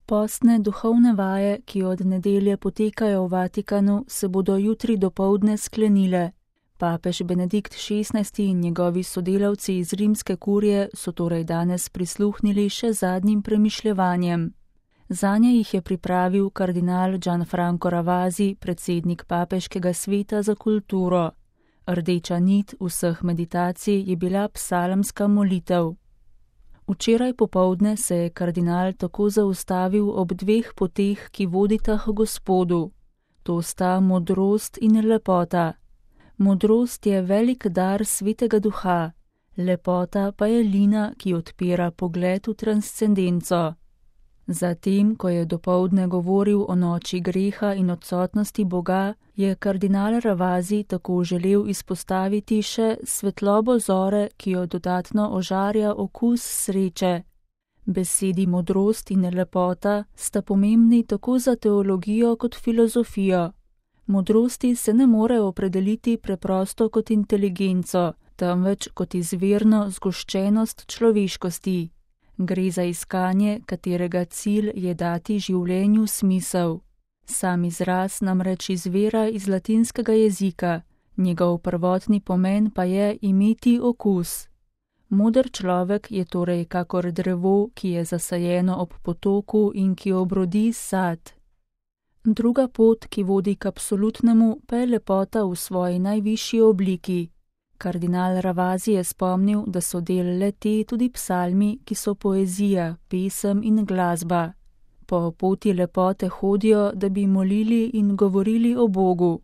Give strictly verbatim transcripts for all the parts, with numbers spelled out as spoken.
Postne duhovne vaje, ki od nedelje potekajo v Vatikanu, se bodo jutri dopoldne sklenile. Papež Benedikt šestnajsti in njegovi sodelavci iz rimske kurije so torej danes prisluhnili še zadnjim premišljevanjem. Zanje jih je pripravil kardinal Gianfranco Ravasi, predsednik Papeškega sveta za kulturo. Rdeča nit vseh meditacij je bila psalmska molitev. Včeraj popoldne se je kardinal tako zaustavil ob dveh poteh, ki vodita k Gospodu. To sta modrost in lepota. Modrost je velik dar Svetega Duha, lepota pa je lina, ki odpira pogled v transcendenco. Zatem, ko je dopoldne govoril o noči greha in odsotnosti Boga, je kardinal Ravasi tako želel izpostaviti še svetlobo zore, ki jo dodatno ožarja okus sreče. Besedi modrost in lepota sta pomembni tako za teologijo kot filozofijo. Modrosti se ne more opredeliti preprosto kot inteligenco, temveč kot izvirno zgoščenost človeškosti. Gre za iskanje, katerega cilj je dati življenju smisel. Sam izraz namreč izvira iz latinskega jezika, njegov prvotni pomen pa je imeti okus. Moder človek je torej kakor drevo, ki je zasajeno ob potoku in ki obrodi sad. Druga pot, ki vodi k absolutnemu, pa je lepota v svoji najvišji obliki. Kardinal Ravasi je spomnil, da so del le-te tudi psalmi, ki so poezija, pesem in glasba. Po poti lepote hodijo, da bi molili in govorili o Bogu.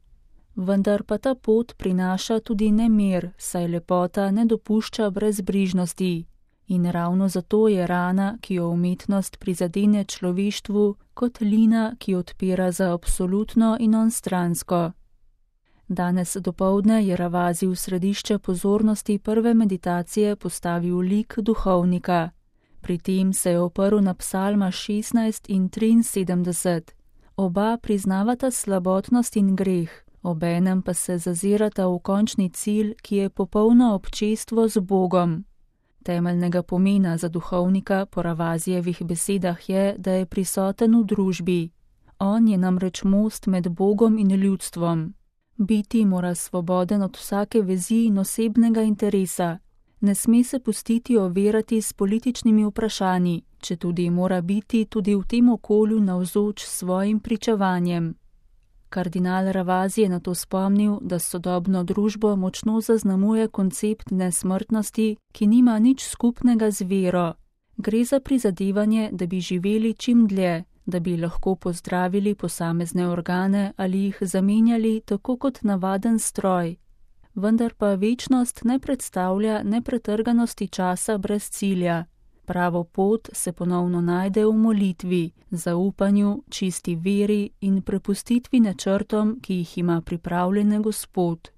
Vendar pa ta pot prinaša tudi nemir, saj lepota ne dopušča brezbrižnosti. In ravno zato je rana, ki jo umetnost prizadene človeštvu, kot lina, ki odpira za absolutno in onstransko. Danes dopoldne je Ravasi v središče pozornosti prve meditacije postavil lik duhovnika. Pri tem se je oprl na psalma šestnajst in triinsedemdeset. Oba priznavata slabotnost in greh, obenem pa se zazirata v končni cilj, ki je popolno občestvo z Bogom. Temeljnega pomena za duhovnika po Ravasijevih besedah je, da je prisoten v družbi. On je namreč most med Bogom in ljudstvom. Biti mora svoboden od vsake vezi in osebnega interesa. Ne sme se pustiti overati s političnimi vprašanji, četudi mora biti tudi v tem okolju navzoč svojim pričevanjem. Kardinal Ravasi je nato spomnil, da sodobno družbo močno zaznamuje koncept nesmrtnosti, ki nima nič skupnega z vero. Gre za prizadevanje, da bi živeli čim dlje, da bi lahko pozdravili posamezne organe ali jih zamenjali tako kot navaden stroj. Vendar pa večnost ne predstavlja nepretrganosti časa brez cilja. Pravo pot se ponovno najde v molitvi, zaupanju, čisti veri in prepustitvi načrtom, ki jih ima pripravljene Gospod.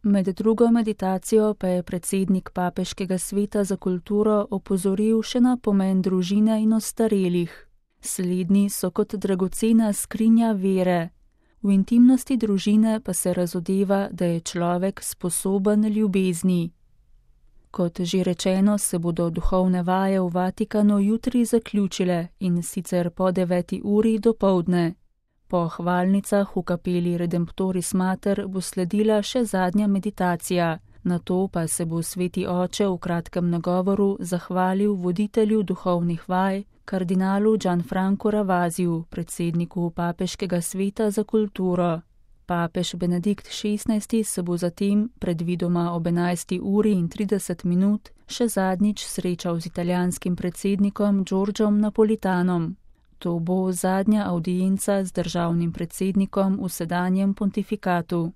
Med drugo meditacijo pa je predsednik Papeškega sveta za kulturo opozoril še na pomen družine in ostarelih. Slednji so kot dragocena skrinja vere. V intimnosti družine pa se razodeva, da je človek sposoben ljubezni. Kot že rečeno, se bodo duhovne vaje v Vatikanu jutri zaključile in sicer po deveti uri dopoldne. Po hvalnicah v kapeli Redemptoris Mater bo sledila še zadnja meditacija, nato pa se bo sveti oče v kratkem nagovoru zahvalil voditelju duhovnih vaj, kardinalu Gianfranco Ravasiju, predsedniku Papeškega sveta za kulturo. Papež Benedikt šestnajsti se bo zatem, predvidoma ob enajsti uri in trideset minut, še zadnjič srečal z italijanskim predsednikom Giorgiom Napolitanom. To bo zadnja avdienca z državnim predsednikom v sedanjem pontifikatu.